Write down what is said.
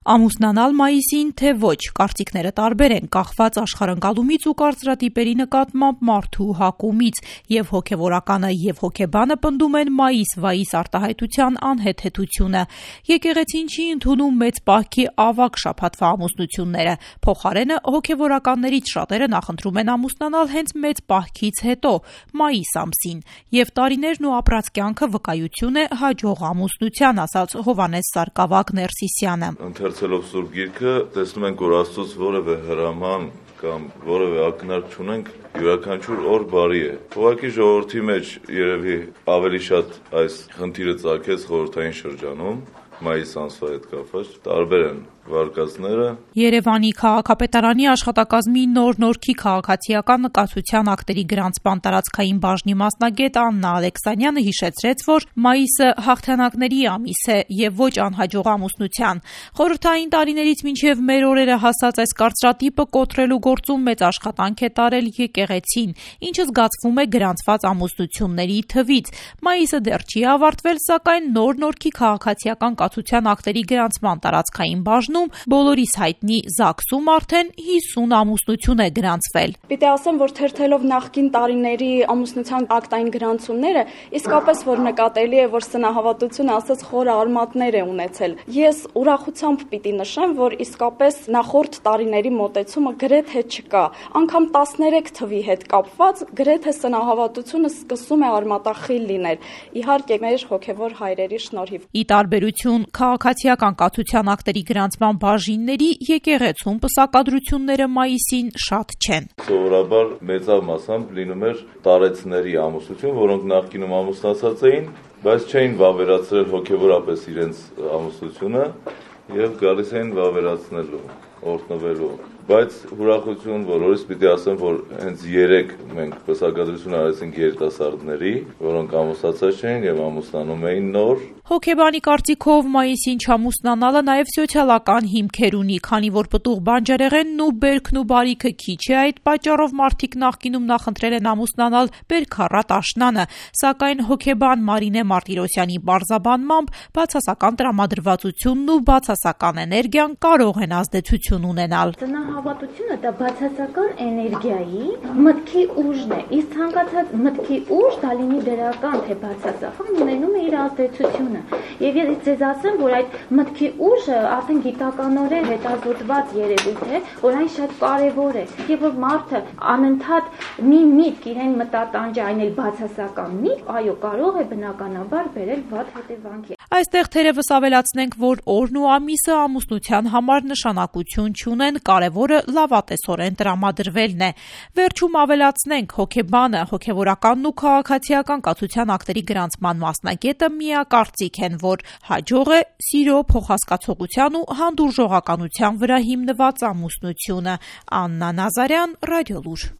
Ամուսնանալ մայիսին, թե ոչ, կարծիքները տարբեր են, կախված աշխարհընկալումից ու կարծրատիպերի նկատմամբ մարդու հակումից, եւ հոգեվորականը եւ հոգեբանը պնդում են մայիս-վայիս արտահայտության անհեթեթությունը։ Եկեղեցին չի ընդունում մեծ պահքի ավագ շաբաթվա ամուսնությունները, փոխարենը հոգեվորականներից շատերը նախընտրում են ամուսնանալ հենց մեծ պահքից հետո, մայիս ամսին, եւ տարիներն ու ապրած կյանքը վկայություն է հաջող ամուսնության, ասաց Հովհաննես Սարգսակ Ներսիսյանը։ Ընթերցելով Սուրբ Գիրքը, տեսնում ենք, որ Աստծոց որևէ հրաման կամ որևէ ակնարկ չունենք, յուրաքանչյուր օր բարի է։ Ուղղակի ժողովրդի մեջ երևի ավելի շատ այս խնդիրը ծագեց խորհրդային շրջանում, մայիս ամսվա հետ կապված, տարբեր են վարկածները։ Երևանի քաղաքապետարանի աշխատակազմի նոր-նորքի քաղաքացիական նկատության ակտերի գրանցման տարածքային բաժնի մասնագետ Աննա Ալեքսանյանը հիշեցրեց, որ մայիսը հաղթանակների ամիս է եւ ոչ անհաջող ամուսնության։ Խորհրդային տարիներից մինչեւ մեր օրերը հասած այս կարծրատիպը կոտրելու գործում մեծ աշխատանք է տարել եկեղեցին, ինչը զգացվում է գրանցված ամուսնությունների թվից։ Մայիսը դեռ չի ավարտվել, սակայն նոր-նորքի քաղաքացիական կացության ակտերի գրանցման տարածքային բաժնում բոլորիս հայտնի ԶԱԳՍ-ում արդեն 50 ամուսնություն է գրանցվել։ Պիտի ասեմ, որ թերթելով նախկին տարիների ամուսնության ակտային գրանցումները, իսկապես որ նկատելի է, որ սնահավատությունը ասած խորը արմատներ է ունեցել։ Ես ուրախությամբ պիտի նշեմ, որ իսկապես նախորդ տարիների մոտեցումը գրեթե չկա։ Անգամ 13 թվի հետ կապված գրեթե սնահավատությունը սկսում է արմատախիլ լինել։ Իհարկե մեր հոգևոր հայրերի շնորհիվ։ Ի տարբերություն քաղաքացիական կացության ակտերի գրանցման բաժինների, եկեղեցում պսակադրությունները մայիսին շատ չեն։ Սովորաբար մեծավ մասամբ լինում էր տարեցների ամուսնություն, որոնք նախկինում ամուսնացած էին, բայց չէին վավերացրել հոգևորապես իրենց ամուսնությունը եւ գալիս էին վավերացնելու, օրհնվելու։ Բայց ուրախություն բոլորիս պիտի ասեմ, որ հենց 3 մենք պսակադրություն արեցինք երիտասարդների, որոնք ամուսնացած չէին եւ ամուսնանում էին նոր։ Հոգեբանի կարծիքով մայիսին չամուսնանալը նաև սոցիալական հիմքեր ունի, քանի որ պտուղ բանջարեղենն ու բերքն ու բարիքը քիչ է, այդ պատճառով մարդիկ նախկինում նախընտրել են ամուսնանալ բերքառատ աշնանը, սակայն հոգեբան Մարինե Մարտիրոսյանի բարձաբանմամբ բացասական տրամադրվածությունն ու բացասական էներգիան կարող են ազդեցություն ունենալ։ Սնահավատությունը դա բացասական էներգիայի մտքի ուժն է, իսկ ցանկացած մտքի ուժ, դա լինի դրական թե բացասական, ունենում է իր ազդեցությունը։ Եվ ես ձեզ ասեմ, որ այդ մտքի ուժը արդեն գիտականորեն հետազոտված երևույթ է, որ այն շատ կարևոր է, եւ որ մարդը անընդհատ մի միտք իրեն մտատանջի, այն էլ բացասական միտք, այո, կարող է բնականաբար բերել վատ հետևանքի։ Այստեղ թերևս ավելացնենք, որ օրն ու ամիսը ամուսնության համար նշանակություն չունեն, կարևորը լավատեսորեն տրամադրվելն է։ Վերջում ավելացնենք, հոգեբանը, հոգեվորականն ու քաղաքացիական կացության ակտերի գրանցման մասնագետը միակարծիք են, որ հաջող է սիրո, փոխհասկացողության ու հանդուրժողականության վրա հիմնված ամուսնությունը։ Աննա Նազարյան, Ռադիոլուր։